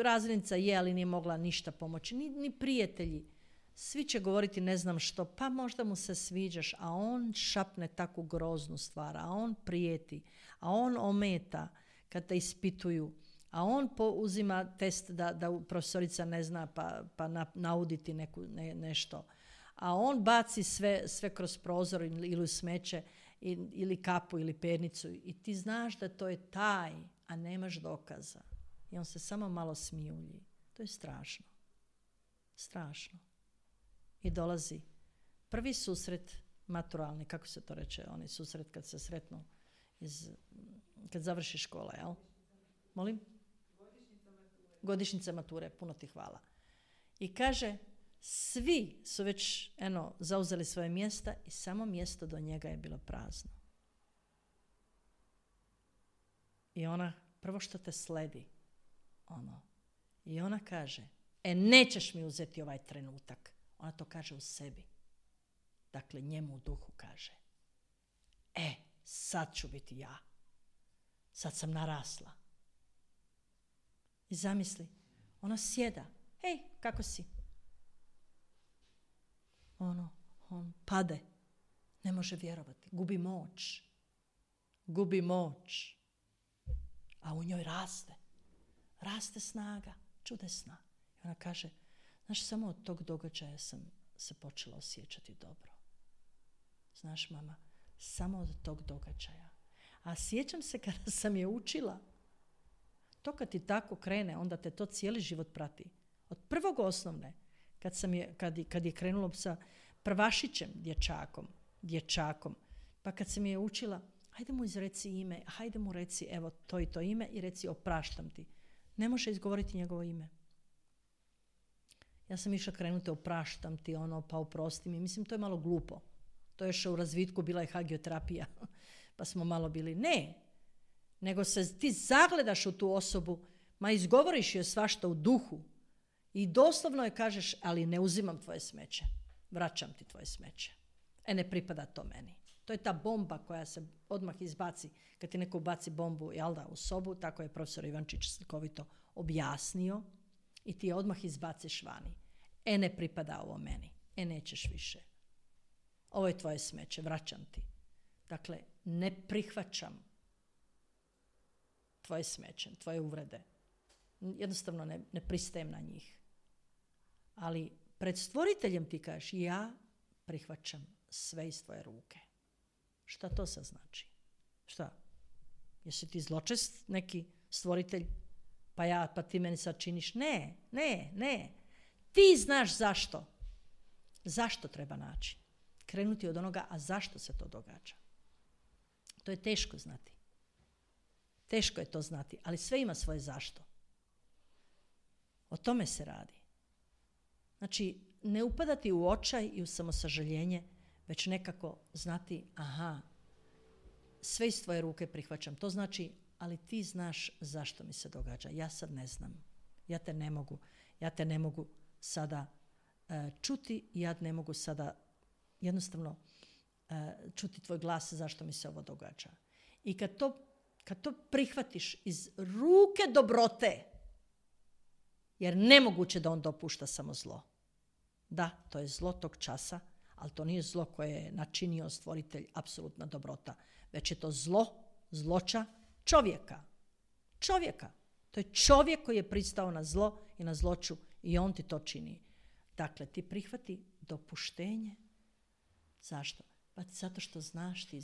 A: razrednica je, ali nije mogla ništa pomoći, ni prijatelji. Svi će govoriti ne znam što, pa možda mu se sviđaš, a on šapne takvu groznu stvar, a on prijeti, a on ometa kad te ispituju, a on uzima test da profesorica ne zna pa nauditi nešto. A on baci sve kroz prozor ili u smeće ili kapu ili pernicu i ti znaš da to je taj, a nemaš dokaza. I on se samo malo smijulji. To je strašno. Strašno. I dolazi prvi susret maturalni, kako se to reče, onaj susret kad se sretnu kad završi škola, jel? Molim? Godišnjica mature, puno ti hvala. I kaže, svi su već zauzeli svoje mjesta i samo mjesto do njega je bilo prazno. I ona, prvo što te sledi, i ona kaže, nećeš mi uzeti ovaj trenutak. Ona to kaže u sebi. Dakle, njemu u duhu kaže, sad ću biti ja. Sad sam narasla. I zamisli, ona sjeda. Hej, kako si? On pade. Ne može vjerovati. Gubi moć. A u njoj raste snaga, čudesna. I ona kaže, znaš, samo od tog događaja sam se počela osjećati dobro. Znaš, mama, samo od tog događaja. A sjećam se kada sam je učila, to kad ti tako krene, onda te to cijeli život prati. Od prvog osnovne, kad je krenulo sa prvašićem dječakom, pa kad sam je učila, hajde mu izreci ime, hajde mu reci evo to i to ime i reci opraštam ti. Ne može izgovoriti njegovo ime. Ja sam išla krenuti opraštam ti, pa oprosti mi. Mislim, to je malo glupo. To je još u razvitku, bila je hagioterapija, pa smo malo bili. Ne, nego se ti zagledaš u tu osobu, izgovoriš joj svašta u duhu i doslovno je kažeš, ali ne uzimam tvoje smeće, vraćam ti tvoje smeće. Ne pripada to meni. To je ta bomba koja se odmah izbaci, kad ti neko baci bombu u sobu, tako je profesor Ivančić slikovito objasnio, i ti je odmah izbaciš vani. Ne pripada ovo meni. Nećeš više. Ovo je tvoje smeće, vraćam ti. Dakle, ne prihvaćam tvoje smeće, tvoje uvrede. Jednostavno ne pristajem na njih. Ali pred stvoriteljem ti kažeš, ja prihvaćam sve iz tvoje ruke. Šta to sad znači? Šta? Jesi ti zločest neki stvoritelj? Pa ti meni sad činiš? Ne. Ti znaš zašto. Zašto treba naći? Krenuti od onoga, a zašto se to događa? To je teško znati. Teško je to znati, ali sve ima svoje zašto. O tome se radi. Znači, ne upadati u očaj i u samosažaljenje, već nekako znati, sve iz tvoje ruke prihvaćam. To znači, ali ti znaš zašto mi se događa. Ja sad ne znam. Ja te ne mogu sada čuti, ja ne mogu sada jednostavno čuti tvoj glas zašto mi se ovo događa. I kad to prihvatiš iz ruke dobrote, jer nemoguće da on dopušta samo zlo. Da, to je zlo tog časa, ali to nije zlo koje je načinio stvoritelj, apsolutna dobrota, već je to zloća čovjeka. To je čovjek koji je pristao na zlo i na zloću i on ti to čini. Dakle, ti prihvati dopuštenje. Zašto? Pa zato što znaš ti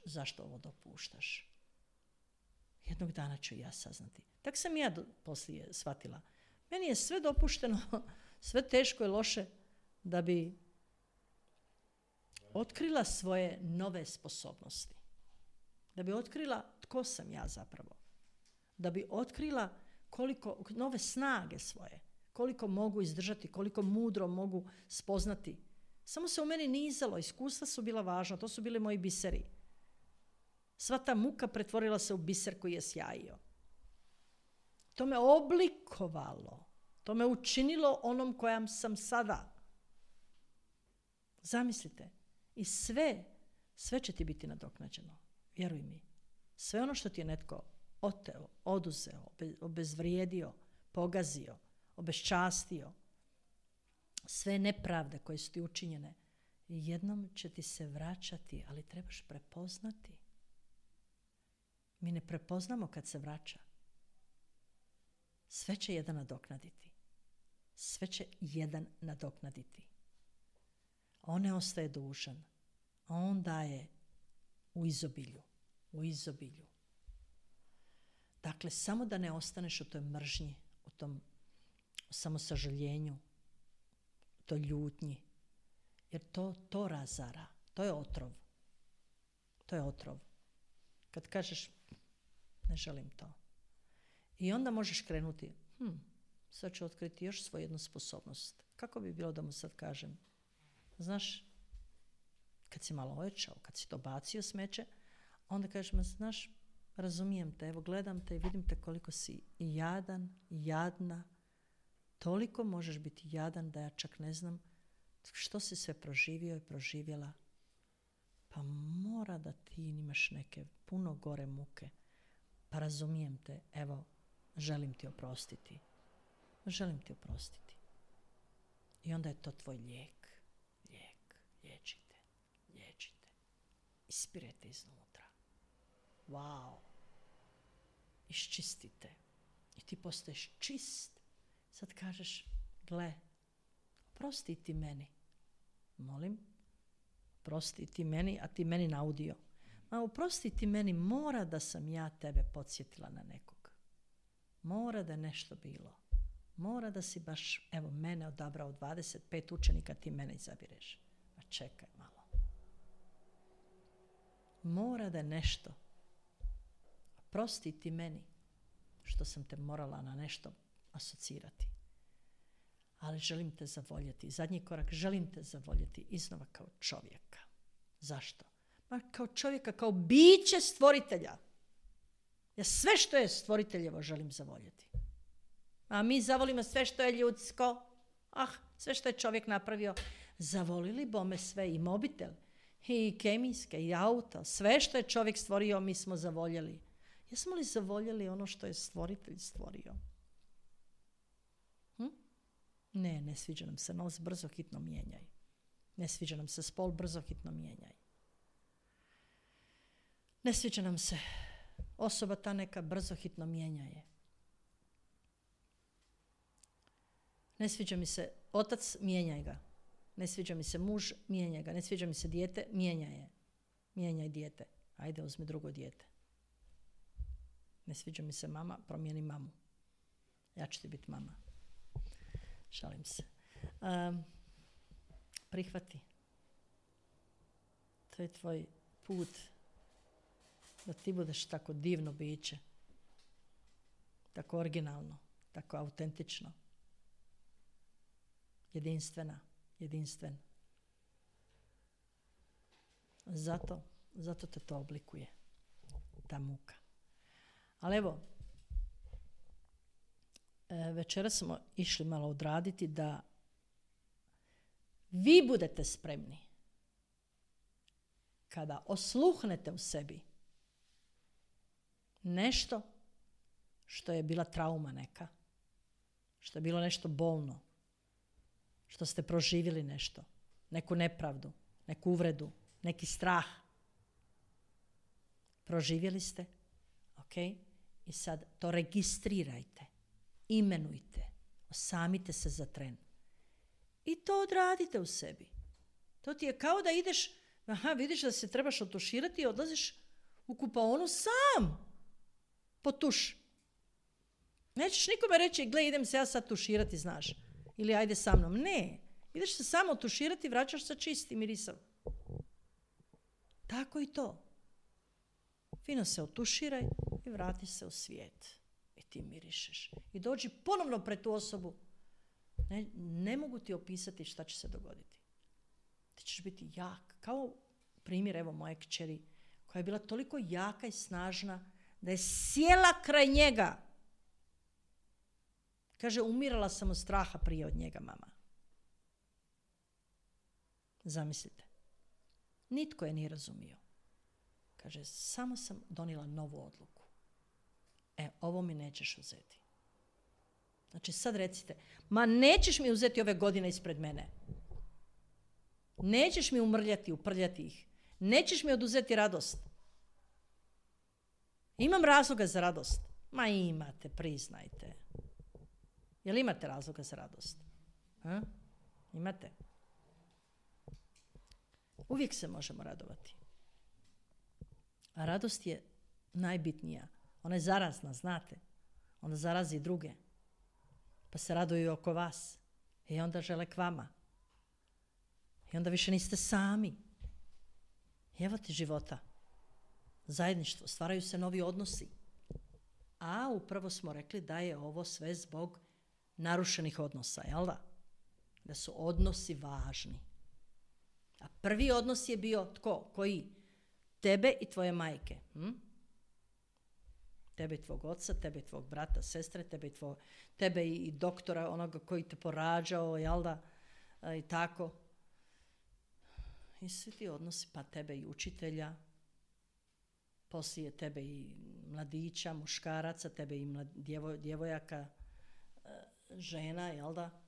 A: zašto ovo dopuštaš. Jednog dana ću ja saznati. Tako sam ja poslije shvatila. Meni je sve dopušteno, sve teško i loše da bi otkrila svoje nove sposobnosti. Da bi otkrila tko sam ja zapravo. Da bi otkrila koliko nove snage svoje. Koliko mogu izdržati, koliko mudro mogu spoznati. Samo se u meni nizalo, iskustva su bila važna, to su bili moji biseri. Sva ta muka pretvorila se u biser koji je sjajio. To me oblikovalo. To me učinilo onom kojam sam sada. Zamislite. I sve će ti biti nadoknađeno. Vjeruj mi. Sve ono što ti je netko oteo, oduzeo, obezvrijedio, pogazio, obeščastio, sve nepravde koje su ti učinjene, jednom će ti se vraćati, ali trebaš prepoznati. Mi ne prepoznamo kad se vraća. Sve će jedan nadoknaditi. Sve će jedan nadoknaditi. On ne ostaje dužan. On daje u izobilju. U izobilju. Dakle, samo da ne ostaneš u toj mržnji, u tom samosažaljenju, u toj ljutnji. Jer to razara. To je otrov. To je otrov. Kad kažeš, ne želim to. I onda možeš krenuti, sad ću otkriti još svoju jednu sposobnost. Kako bi bilo da mu sad kažem? Znaš, kad si malo ojačao, kad si to bacio smeće, onda kažeš, znaš, razumijem te, evo gledam te i vidim te koliko si jadan, jadna. Toliko možeš biti jadan da ja čak ne znam što si sve proživio i proživjela. Pa mora da ti imaš neke puno gore muke. Pa razumijem te, evo, želim ti oprostiti. Želim ti oprostiti. I onda je to tvoj lijek. Liječite. Ispirete iznutra. Wow. Iščistite. I ti postaješ čist. Sad kažeš, gle, oprosti ti meni. Molim? Oprosti ti meni, a ti meni naudio. Ma oprosti ti meni, mora da sam ja tebe podsjetila na nekog. Mora da je nešto bilo. Mora da si baš, evo, mene odabrao 25 učenika, ti mene izabireš. Ma čekaj malo. Mora da je nešto. Oprosti ti meni što sam te morala na nešto asocirati. Ali želim te zavoljeti. Zadnji korak, želim te zavoljeti iznova kao čovjeka. Zašto? Ma kao čovjeka, kao biće stvoritelja. Ja sve što je stvoriteljevo želim zavoljeti. A mi zavolimo sve što je ljudsko. Sve što je čovjek napravio. Zavolili bome sve, i mobitel, i kemijske, i auto. Sve što je čovjek stvorio, mi smo zavoljeli. Jesmo li zavoljeli ono što je stvoritelj stvorio? Ne sviđa nam se nos, brzo hitno mijenjaj. Ne sviđa nam se spol, brzo hitno mijenjaj. Ne sviđa nam se osoba ta neka, brzo hitno mijenjaj. Ne sviđa mi se otac, mijenjaj ga. Ne sviđa mi se muž, mijenjaj ga. Ne sviđa mi se dijete, mijenjaj je. Mijenjaj dijete. Ajde, uzmi drugo dijete. Ne sviđa mi se mama, promijeni mamu. Ja ću ti biti mama. Šalim se. Prihvati. To je tvoj put da ti budeš tako divno biće. Tako originalno. Tako autentično. Jedinstven. Zato te to oblikuje. Ta muka. Ali evo, večeras smo išli malo odraditi da vi budete spremni kada osluhnete u sebi nešto što je bila trauma neka, što je bilo nešto bolno, što ste proživjeli nešto, neku nepravdu, neku uvredu, neki strah. Proživjeli ste, ok? I sad to registrirajte, imenujte, osamite se za tren. I to odradite u sebi. To ti je kao da ideš, vidiš da se trebaš otuširati i odlaziš u kupaonu sam po tuš. Nećeš nikome reći, gle, idem se ja sad tuširati, znaš. Ili ajde sa mnom. Ne. Ideš se samo tuširati i vraćaš sa čistim mirisom. Tako i to. Fino se otuširaj i vrati se u svijet. I ti mirišeš. I dođi ponovno pred tu osobu. Ne mogu ti opisati šta će se dogoditi. Ti ćeš biti jak. Kao primjer, evo, moje kćeri, koja je bila toliko jaka i snažna da je sjela kraj njega. Kaže, umirala sam od straha prije od njega, mama. Zamislite. Nitko je nije razumio. Kaže, samo sam donijela novu odluku. Ovo mi nećeš uzeti. Znači, sad recite, ma nećeš mi uzeti ove godine ispred mene. Nećeš mi uprljati ih. Nećeš mi oduzeti radost. Imam razloga za radost. Ma imate, priznajte. Jel imate razloga za radost? Imate? Uvijek se možemo radovati. A radost je najbitnija. Ona je zarazna, znate. Ona zarazi druge. Pa se raduju oko vas. I onda žele k vama. I onda više niste sami. I evo ti života. Zajedništvo. Stvaraju se novi odnosi. A upravo smo rekli da je ovo sve zbog narušenih odnosa, jel da? Da su odnosi važni. A prvi odnos je bio tko? Koji? Tebe i tvoje majke. Tebe i tvog oca, tebe i tvog brata, sestre, tebe i doktora, onoga koji te porađao, jel da? I tako. I svi ti odnosi, pa tebe i učitelja, poslije tebe i mladića, muškaraca, tebe i djevojaka, žena, jel da?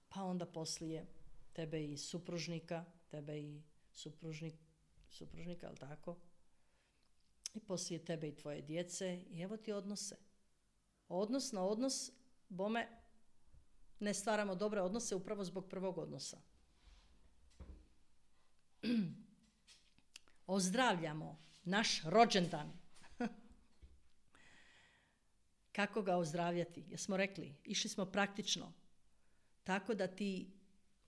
A: Pa onda poslije tebe i supružnika, tebe i supružnika, jel tako? I poslije tebe i tvoje djece. I evo ti odnose. Odnos na odnos, bome, ne stvaramo dobre odnose upravo zbog prvog odnosa. Ozdravljamo naš rođendan. Kako ga ozdravljati? Jesmo rekli, išli smo praktično. Tako da ti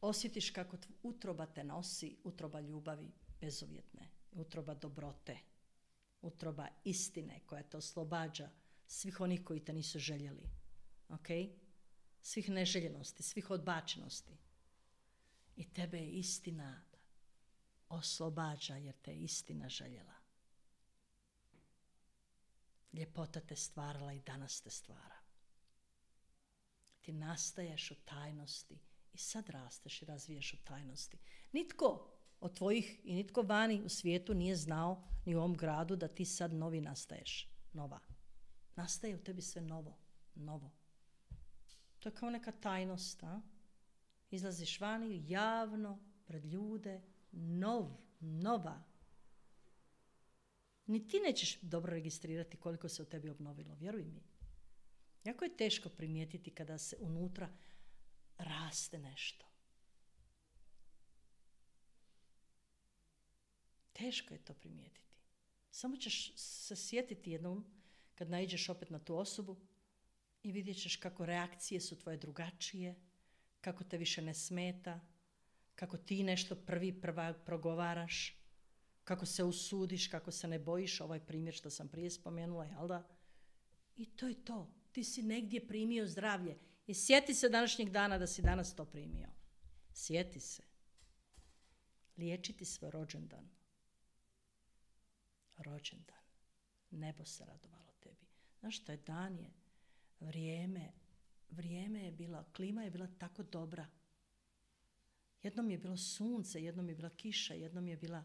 A: osjetiš kako utroba te nosi, utroba ljubavi bezuvjetne, utroba dobrote, utroba istine koja te oslobađa svih onih koji te nisu željeli. Okay? Svih neželjenosti, svih odbačenosti. I tebe je istina oslobađa jer te je istina željela. Ljepota te stvarala i danas te stvara. Ti nastaješ u tajnosti i sad rasteš i razviješ u tajnosti. Nitko od tvojih i nitko vani u svijetu nije znao ni u ovom gradu da ti sad novi nastaješ. Nova. Nastaje u tebi sve novo. To je kao neka tajnost. Izlaziš vani javno pred ljude, nova. Ni ti nećeš dobro registrirati koliko se u tebi obnovilo, vjeruj mi. Jako je teško primijetiti kada se unutra raste nešto. Teško je to primijetiti. Samo ćeš se sjetiti jednom kad naiđeš opet na tu osobu i vidjet ćeš kako reakcije su tvoje drugačije, kako te više ne smeta, kako ti nešto prva progovaraš, kako se usudiš, kako se ne bojiš, ovaj primjer što sam prije spomenula, jel da? I to je to. Ti si negdje primio zdravlje. I sjeti se današnjeg dana da si danas to primio. Sjeti se. Liječiti svoj rođendan. Nebo se radovalo tebi. Znaš što je dan je? Vrijeme je bilo, klima je bila tako dobra. Jednom je bilo sunce, jednom je bila kiša, jednom je bila,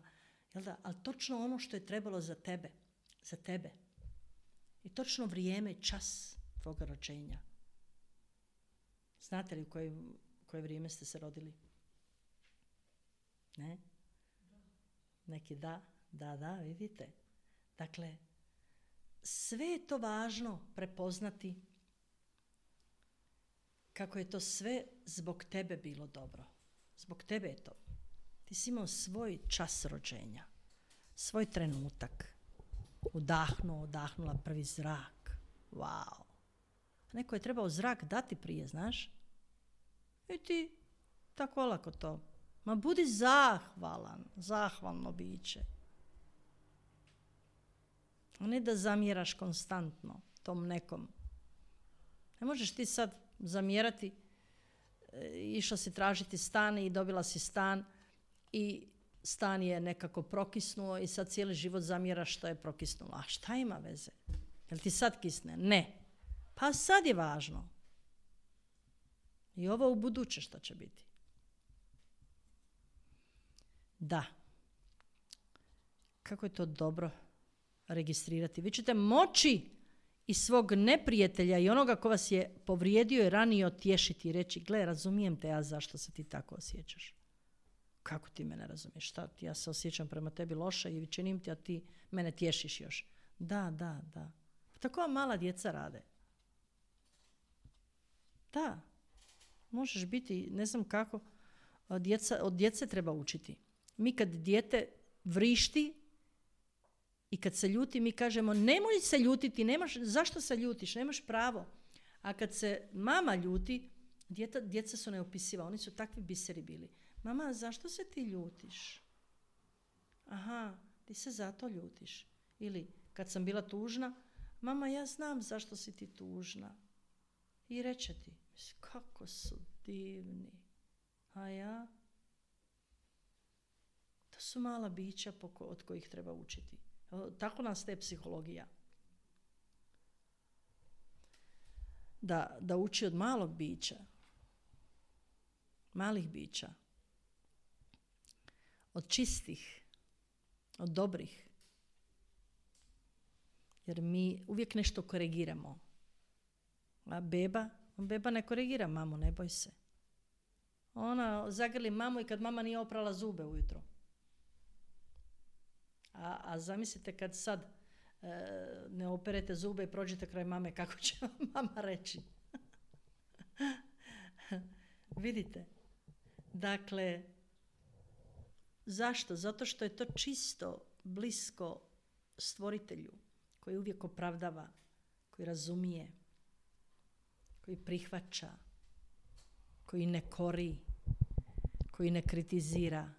A: jel da, ali točno ono što je trebalo za tebe. I točno vrijeme, čas tvoga rođenja. Znate li u koje vrijeme ste se rodili? Ne? Neki da, vidite. Dakle, sve je to važno prepoznati kako je to sve zbog tebe bilo dobro. Zbog tebe je to. Ti si imao svoj čas rođenja, svoj trenutak. Odahnula prvi zrak. Wow. Neko je trebao zrak dati prije, znaš? I ti tako olako to. Ma budi zahvalno biće. A ne da zamjeraš konstantno tom nekom. Ne možeš ti sad zamjerati, išla si tražiti stan i dobila si stan i stan je nekako prokisnuo i sad cijeli život zamjeraš što je prokisnulo. A šta ima veze? Jel ti sad kisne? Ne. Pa sad je važno. I ovo u buduće što će biti. Da. Kako je to dobro registrirati. Vi ćete moći i svog neprijatelja i onoga ko vas je povrijedio i ranije otješiti i reći, gle, razumijem te ja zašto se ti tako osjećaš. Kako ti mene razumiješ? Šta, ja se osjećam prema tebi loše i činim ti, a ti mene tješiš još. Da. Tako vam mala djeca rade. Da. Možeš biti, ne znam kako, od djece treba učiti. Mi kad dijete vrišti i kad se ljuti, mi kažemo nemoj se ljutiti, zašto se ljutiš, nemaš pravo. A kad se mama ljuti, djeca su neopisiva, oni su takvi biseri bili. Mama, zašto se ti ljutiš? Aha, ti se zato ljutiš. Ili kad sam bila tužna, mama, ja znam zašto si ti tužna. I reče ti, kako su divni. A ja? To su mala bića od kojih treba učiti. Tako nas te psihologija. Da uči od malog bića. Malih bića. Od čistih. Od dobrih. Jer mi uvijek nešto korigiramo. A beba ne korigira mamu, ne boj se. Ona zagrli mamu i kad mama nije oprala zube ujutro. A zamislite kad sad ne operete zube i prođete kraj mame, kako će vam mama reći? Vidite? Dakle, zašto? Zato što je to čisto, blisko stvoritelju koji uvijek opravdava, koji razumije, koji prihvaća, koji ne kori, koji ne kritizira,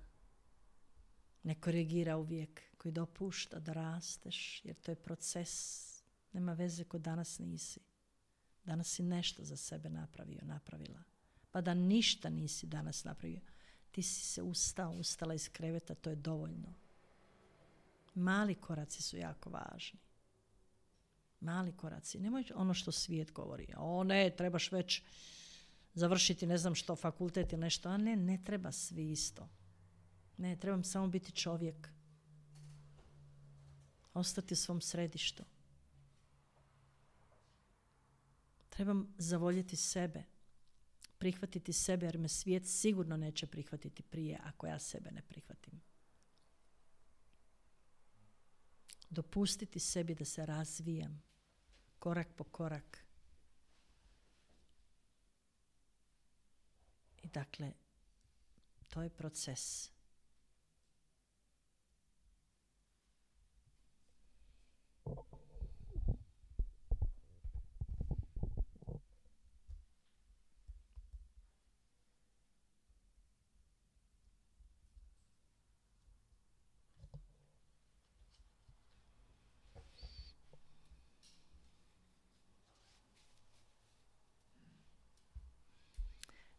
A: ne korigira uvijek, koji dopušta da rasteš, jer to je proces. Nema veze ko danas nisi. Danas si nešto za sebe napravila. Pa da ništa nisi danas napravio. Ti si se ustala iz kreveta, to je dovoljno. Mali koraci su jako važni. Mali koraci. Nemoj ono što svijet govori. O ne, trebaš već završiti ne znam što, fakultet ili nešto. A ne treba svi isto. Ne, trebam samo biti čovjek. Ostati u svom središtu. Trebam zavoljeti sebe. Prihvatiti sebe, jer me svijet sigurno neće prihvatiti prije ako ja sebe ne prihvatim. Dopustiti sebi da se razvijam. Korak po korak. I dakle, to je proces.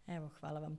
A: Evo, hvala vam.